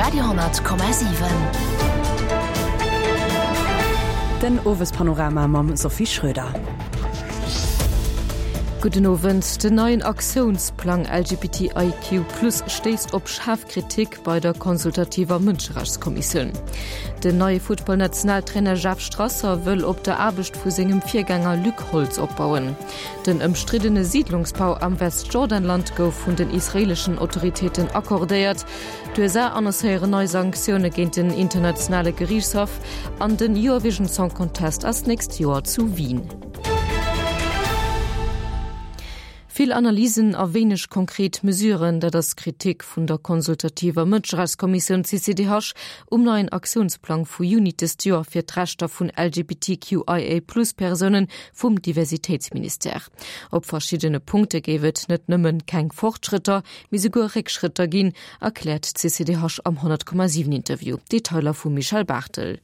Radio,7. Den Owespanorama mam Sophie Schröder. Gudden Owend. Den neien Aktiounsplang LGBTIQ+ stéisst op schaarf Kritik bei der consultativer Mënscherechtskommissioun. Den neie Futtballnationaltrainer Jeff Strasser wëll op der Aarbecht vu sengem Virgänger Luc Holtz opbauen. Den ëmstriddene Siidlungsbau am Westjordanland gouf vun den israeeleschen Autoritéiten accordéiert. D'USA annoncéieren nei Sanktioune géint den internationale Geriichtshaff an den Eurovision Song Contest ass d'nächst Joer zu Wien. Vill Analysen a wéineg konkret Mesuren, dat ass d'Kritik vun der consultativer Mënscherechtskommissioun CCDH um neien Aktiounsplang vu Juni dëst Joer fir d'Rechter vun LGBTQIA-Plus-Persounen vum Diversitéitsministère. Op verschiddene Punkte géif et net nëmmen keng Fortschrëtter, mee souguer Réckschrëtter ginn, erkläert d'CCDH am 100,7 Interview. Detailer vum Michèle Barthel.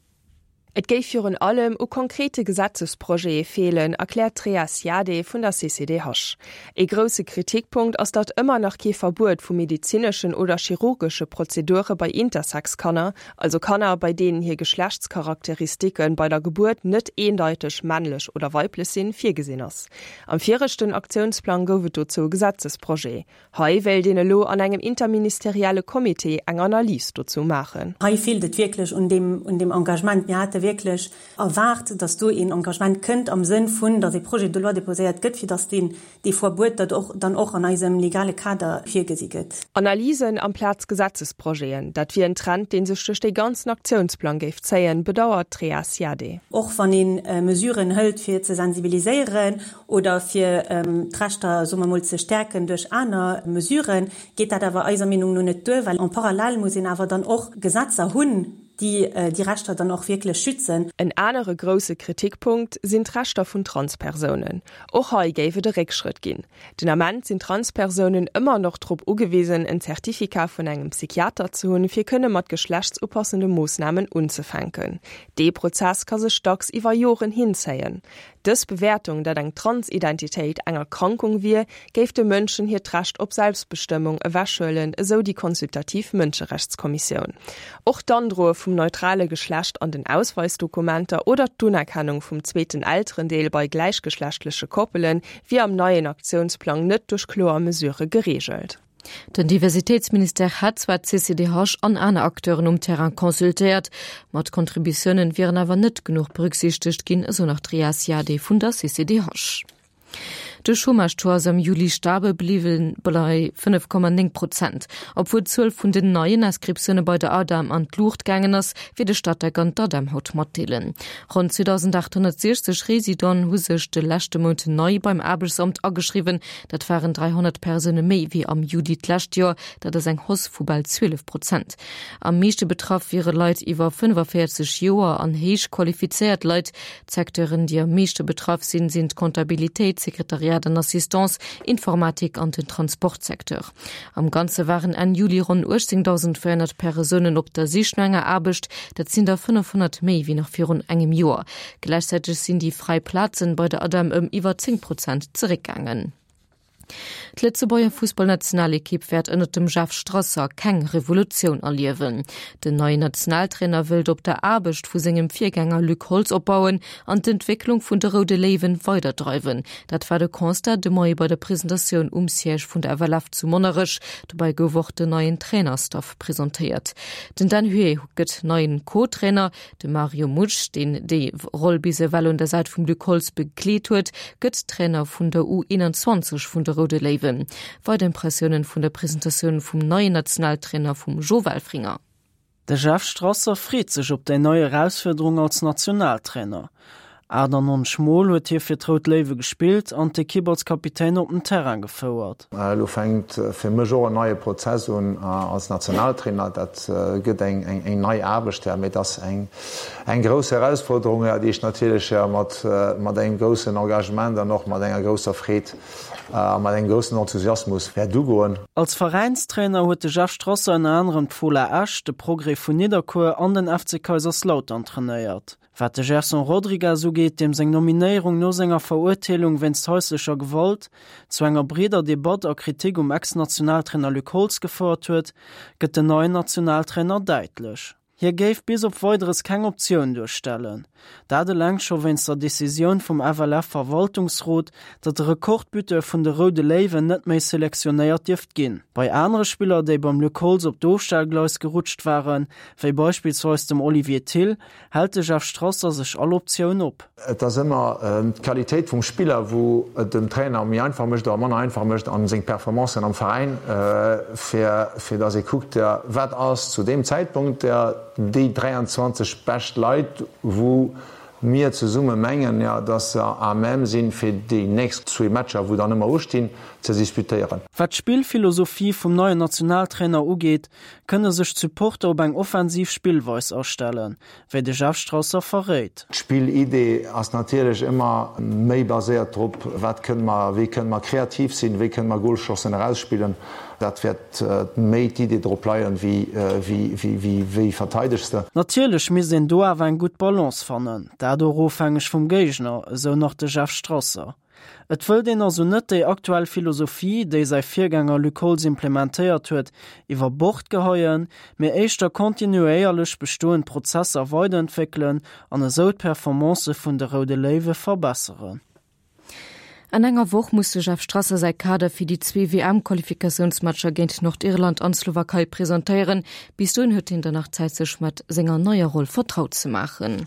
Et géif virun allem u konkrete Gesetzesprojete feelen, erkläert d'Rhea Ziadé vun der CCDH. Ee grousse Kritikpunkt ass, datt ëmmer nach kee Verbuet vu medezineschen oder chirurgesche Prozedure bei Intersex-Kanner, also Kanner, bei deenen hir Geschlechtscharakteristike bei der Gebuert net eendeiteg männlech oder weiblech sinn, virgesinn ass. Am viregten Aktiounsplang gouf et dozou e Gesetzesprojet. Hei wéilt een elo an engem interministerielle Comité eng Analys dozou maachen. Hei feelt et wierklech un deem, un deem Engagement. Mir hate wierklech erwaart, datt do een Engagement kënnt am Sënn vun, datt ee Projet de loi déposéiert gëtt, fir datt deen dee Verbuet dat och dann och an eisem legale Kader virgesi gëtt. Analysen amplaz Gesetzesprojeten, dat wier en Trend, dee sech duerch dee ganzen Aktiounsplang géif zéien, bedauert d'Rhea Siadé. Och wann ee Mesuren hëlt fir ze sensibiliséieren oder fir d'Rechter, soe mer mol, ze stäerken duerch aner Mesuren, geet dat awer eiser Meenung no net duer, well en parallèle muss een awer dann och Gesetzer hunn, déi déi Rechter dann och wierklech schützen. En anere grousse Kritikpunkt sinn d'Rechter vun Transpersounen. Och hei géif et e Réckschrëtt ginn. Den Ament sinn Transpersounen ëmmer noch drop ugewisen, en Zertifikat vun engem Psychiater ze hunn, fir kënne mat geschlechtsupassende Moossnamen unzefänken. Dee Prozess ka sech dacks iwwer Joren hinzéien. Dës Bewäertung, datt eng Transidentitéit eng Erkrankung wier, géif de Mënschen hiert Recht op Selbstbestëmmung ewechhuelen, esou déi consultativ Mënscherechtskommissioun. Och d'Androe vum neutrale Geschlecht an den Ausweisdokumenter oder d'Unerkennung vum zweeten Elterendeel bei gläichgeschlechtleche Koppele wier am neien Aktiounsplang net duerch kloer Mesurë gereegelt. Den Diversitéitsministère hätt zwar d'CCDH an aner Acteuren um Terrain consultéiert, ma d'Contributiounen wieren awer net genuch berücksichtegt ginn, esou nach d'Ria Ziadé vun der CCDH. De Chômage-Taux ass am Juli stabel bliwwen, bei 5,9 Prozent. Obwuel d'Zuel vun den neien Inscriptioune bei der ADEM an d'Luucht gaangen ass, wéi de Statec an d'ADEM haut matdeelen. Ronn 2.860 Residenten hu sech de leschte Mount nei beim Aarbechtsamt ageschriwwen. Dat waren 300 Persoune méi wéi am Juli d'lescht Joer, dat ass eng Hausse vu bal 12 Prozent. Am meeschte betraff wiere Leit iwwer 45 Joer an héich qualifizéiert Leit. D'Secteuren, déi am meeschte betraff sinn, sinn d'Comptabilitéit, Sekretariat an Assistance, Informatik an den Transportsecteur. Am Ganze waren Enn Juli ronn 18.400 Persounen op der Sich no enger Aarbecht, dat sinn der 500 méi wéi nach virun engem Joer. Gläichzäiteg sinn déi fräi Plazen bei der ADEM ëm iwwer 10 Prozent zeréckgaangen. D'Lëtzebuerger Fussballnationalekipp wäert ënnert dem Jeff Strasser keng Revolutioun erliewen. Den neien Nationaltrainer wëllt op der Aarbecht vu sengem Virgänger Luc Holtz opbauen an d'Entwécklung vun de Roude Léiwen weiderdreiwen. Dat war de Constat de Moie bei der Presentatioun um Siège vun der FLF zu Monnerech. Dobäi gouf och den neien Trainerstaff presentéiert. Den Dan Huet gëtt neien Co-Trainer. De Mario Mutsch, deen déi Roll bis ewell un der Säit vum Luc Holtz begleet huet, gëtt Trainer vun der U21 vun de Roude Léiwen. Weider Impressiounen vun der Presentatioun vum neien Nationaltrainer vum Jo Welfringer. De Jeff Strasser freet sech op déi nei Erausfuerderung als Nationaltrainer. 98 Mol huet hie fir d'Rout Léiwe gespillt an d'Ekipp als Kapitän op den Terrain gefouert. Elo fänkt fir mech och en neie Prozess un als Nationaltrainer. Dat gëtt eng nei Aarbecht, mee et ass eng grouss Erausforderung, déi ech natierlech mat engem groussen Engagement an och mat enger grousser Freed. A mat engem groussen Enthusiasmus wäert ugoen. Als Veräinstrainer huet de Jeff Strasser ënner anerem d'Fola Esch, de Progrès vun Nidderkuer an den FC Kaiserslautern trainéiert. Wat de Gerson Rodrigues ugeet, deem seng Nominéierung no senger Verurteelung wéinst haislecher Gewalt zu enger breeder Debatt a Kritik um Ex-Nationaltrainer Luc Holtz gefouert huet, gëtt den neien Nationaltrainer däitlech. Hie géif bis op Weideres keng Optioun duerstellen. Dat eleng scho wéinst der Decisioun vum FLF-Verwaltungsrot, datt de Rekordbuteur vun de Roude Léiwen net méi selektionéiert dierft ginn. Bei anere Spiller, déi beim Luc Holtz op d'Ofstellgleis gerutscht waren, wéi beispillsweis dem Olivier Thill, hält de Jeff Strasser sech all Optioun op. Et ass ëmmer d'Qualitéit vum Spiller, wou et dem Trainer méi einfach mécht oder manner einfach mécht a seng Performancen am Veräin, fir fir datt ee kuckt, wat ass zu deem Zäitpunkt déi 23 bescht Leit, wou mir zesumme mengen, datt se à même sinn, fir déi nächst zwee Matcher, wou dann ëmmer ustinn, ze disputéieren. Wat d'Spillphilosophie vum neien Nationaltrainer ugeet, kënne sech d'Supporter op eng offensiv Spillweis astellen, wéi de Jeff Strasser verréit. D'Spillidee ass natierlech ëmmer méi baséiert drop, wat kënne mer, wéi kënne mer kreativ sinn, wéi kënne mer Golchancen erausspillen. Dat wäert méi d'Idee drop leien, wéi wéi verteidegs de. Natierlech misst een do awer eng gutt Balance fannen, dat och ofhängeg vum Géigner, esou nach de Jeff Strasser. Et wëllt een also net déi aktuell Philosophie, déi säi Virgänger Luc Holtz implementéiert huet, iwwer Bord geheien, mee éischter kontinuéierlech bestoend Prozesser weiderentwéckelen an esou d'Performancë vun de Roude Léiwe verbesseren. An enger Woch muss de Jeff Strasser säi Kader fir déi zwee WM-Qualifikatiounsmatcher géint Nordirland an d'Slowakei presentéieren. Bis dohin huet hien dann nach Zäit sech mat senger neier Roll vertraut ze maachen.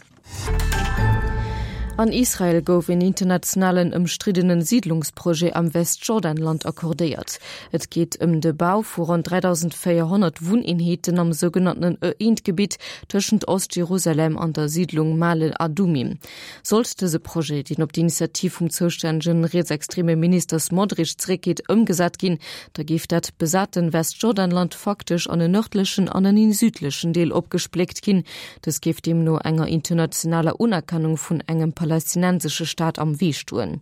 An Israel gouf een internationalen ëmstriddene Siidlungsprojet am Westjordanland accordéiert. Et geet ëm de Bau vu ronn 3.400 Wunneenheeten am sougenanntenen Ë-Eent-Gebitt tëschent Ost-Jerusalem an der Siidlung Male Adumim. Sollt dëse Projet, deen op d'Initiativ vum zoustännegen rietsextreme Minister Smotrich zeréckgeet, ëmgesat ginn, da géif dat besaten Westjordanland faktesch an en nërdlechen an en südlechen Deel opgespléckt ginn. Dës géif deemno enger internationaler Unerkennung vun engem palästinensesche Staat am Wee stoen.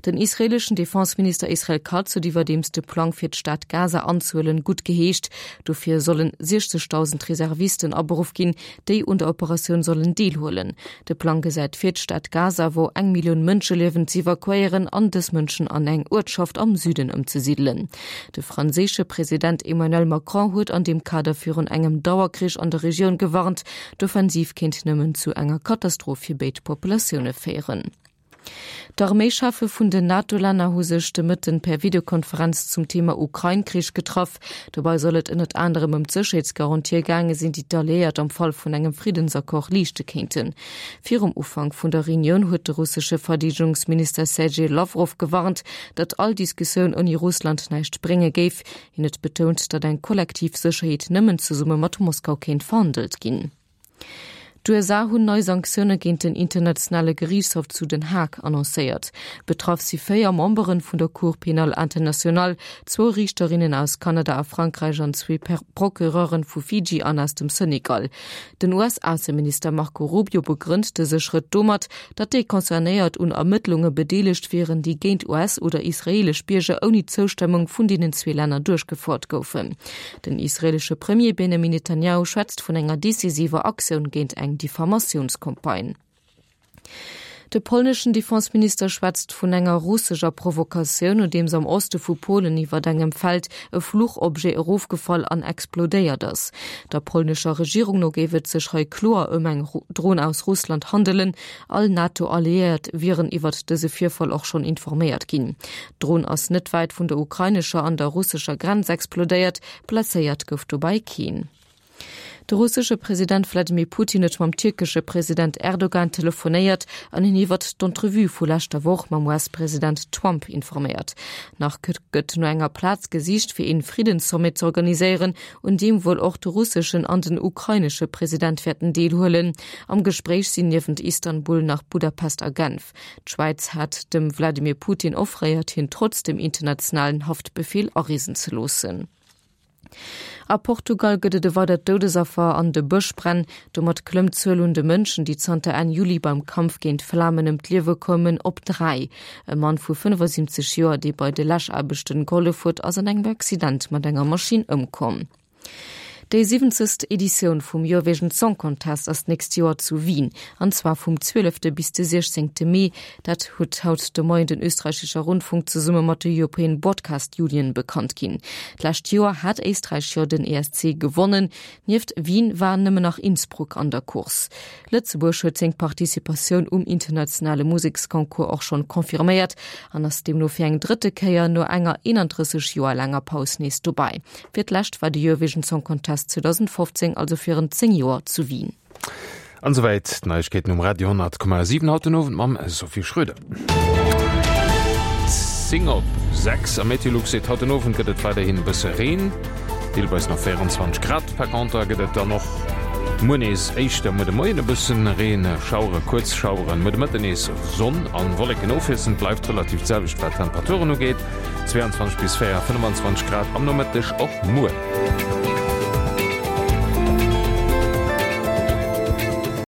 Den israeeleschen Defenseminister Israel Katz huet iwwerdeems de Plang fir d'Stad Gaza anzehuelen gutt geheescht. Dofir sollen 60.000 Reservisten aberuff ginn, déi un der Operatioun sollen deelhuelen. De Plang gesäit vir, d'Stad Gaza, wou eng Millioun Mënsche liewen, z'evakuéieren an dës Mënschen an eng Uertschaft am Süden ëmzesidelen. De franséische President Emmanuel Macron huet an deem Kader virun engem Dauerkrich an der Regioun gewarnt. D'Offensiv kéint nëmmen zu enger Katastroph fir béid Populatioune féieren. D'Arméischeffe vun den NATO-Länner hu sech de Mëtten per Videokonferenz zum Thema Ukrain-Krich getraff. Dobei soll et ënnert anerem ëm d'Sécherheetsgarantië gaange sinn, déi d'Alliéiert am Fall vun engem Friddensaccord leeschte kéinten. Virum Ufank vun der Reunioun huet de russesche Verdeedegungsminister Sergej Lawrow gewarnt, datt all Diskussioun ouni Russland näischt brénge géif. Hien huet betount, datt eng kollektiv Sécherheet nëmmen zesumme mat Moskau kéint verhandelt ginn. D'USA hunn nei Sanktioune géint den Internationale Geriichtshof zu Den Haag annoncéiert. Betraff si 4 Membere vun der Cour pénale internationale, zwou Riichterinnen aus Kanada a Frankräich an zwee Procureure vu Fiji an aus dem Senegal. Den US-Ausseminister Marco Rubio begrënnt dëse Schrëtt domat, datt déi Concernéiert un Ermëttlunge bedeelegt wieren, déi géint US oder israeelesch Bierger ouni d'Zoustëmmung vun deenen zwee Länner duerchgefouert goufen. Den israeelesche Premier Benjamin Netanjahu schwätzt vun enger decisiver Aktioun géint eng Diffamatiounscampagne. De polneschen Defenseminister schwätzt vun enger russescher Provokatioun, nodeems am Oste vu Polen iwwert engem Feld e Fluchobjet erofgefall an explodéiert ass. Der polnescher Regierung no géif et sech hei kloer ëm eng Dron aus Russland handelen. All NATO-Alliéiert wieren iwwert dëse Virfall och schonn informéiert ginn. D'Dron ass net wäit vun der ukrainescher an der russescher Grenz explodéiert, blesséiert gouf dobäi keen. De russesche President Wladimir Putin huet mam tierkesche President Erdogan telefonéiert an hien iwwert d'Entrevue vu leschter Woch mam US-President Trump informéiert. Nach gëtt no enger Plaz gesicht, fir een Friddenssommet z'organiséieren, un deem wuel och de russeschen an den ukrainesche President wäerten deelhuelen. Am Gespréich sinn niewent Istanbul nach Budapest a Genf. D'Schwäiz hat dem Wladimir Putin offréiert, hien trotz dem internationalen Haftbefeel areesen ze loossen. A Portugal gëtt et e weidert Doudesaffer an de Bëschbränn. Domat klëmmt d'Zuel un de Mënschen, déi zanter Enn Juli beim Kampf géint d'Flamen ëm d'Liewe koumen, op 3. E Mann vu 75 Joer, dee bei de Läschaarbechten gehollef huet, ass an engem Accident mat enger Maschinn ëmkomm. Déi siwwenzegst Editioun vum Eurovision Song Contest ass d'nächst Joer zu Wien, an zwar vum 12. bis de 16. Mee. Dat huet haut de Moien den Österreichischer Rundfunk zesumme mat der European Broadcast Union bekannt ginn. D'lescht Joer hat Éisträich jo den ESC gewonnen. Nieft Wien war nëmmen nach Innsbruck an der Course. Lëtzebuerg huet seng Participatioun um internationale Museksconcours och schonn confirméiert an ass deemno fir eng drëtte Kéier no enger 31 Joer laanger Paus nees dobäi. Fir d'lescht war de Eurovision Song Contest 2015, also virun 10 Joer zu Wien. An esouwäit d'Neiegkeeten um Radio 10,7 haut den Owend mam Sophie Schröder. 10 op 6 a Meteolux seet, haut den Owend gëtt et weiderhin e bësse Reen, deelweis nach 24 Grad. Par conter gëtt et dann och muer nees éischter muer de Moien e bëssen Reen, Schauere, kuerz Schaueren, muer de Mëtten nees Sonn an Wolleken ofwiesselnd. Bleift relativ d'selwecht wat d'Temperaturen ugeet, 22 bis 4, 25 Grad am Nomëtteg och muer.